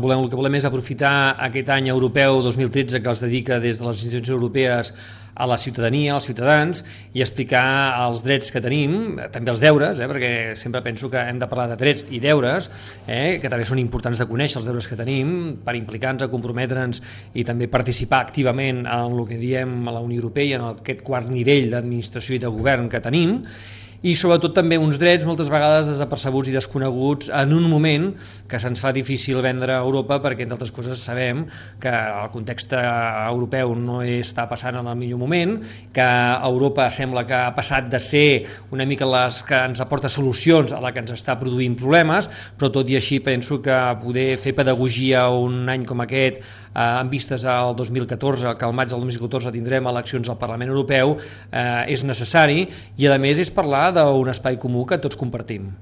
El que volem és aprofitar aquest any europeu 2013 que es dedica des de les institucions europees a la ciutadania, als ciutadans, i explicar els drets que tenim, també els deures, perquè sempre penso que hem de parlar de drets i deures, que també són importants de conèixer els deures que tenim per implicar-nos, a comprometre'ns i també participar activament en el que diem a la Unió Europea, en aquest quart nivell d'administració i de govern que tenim, i sobretot també uns drets moltes vegades desapercebuts i desconeguts en un moment que se'ns fa difícil vendre a Europa, perquè entre altres coses sabem que el context europeu no està passant en el millor moment, que Europa sembla que ha passat de ser una mica les que ens aporta solucions a la que ens està produint problemes, però tot i així penso que poder fer pedagogia un any com aquest en vistes al 2014, que al maig del 2014 tindrem eleccions al Parlament Europeu, és necessari, i a més és parlar d'un espai comú que tots compartim.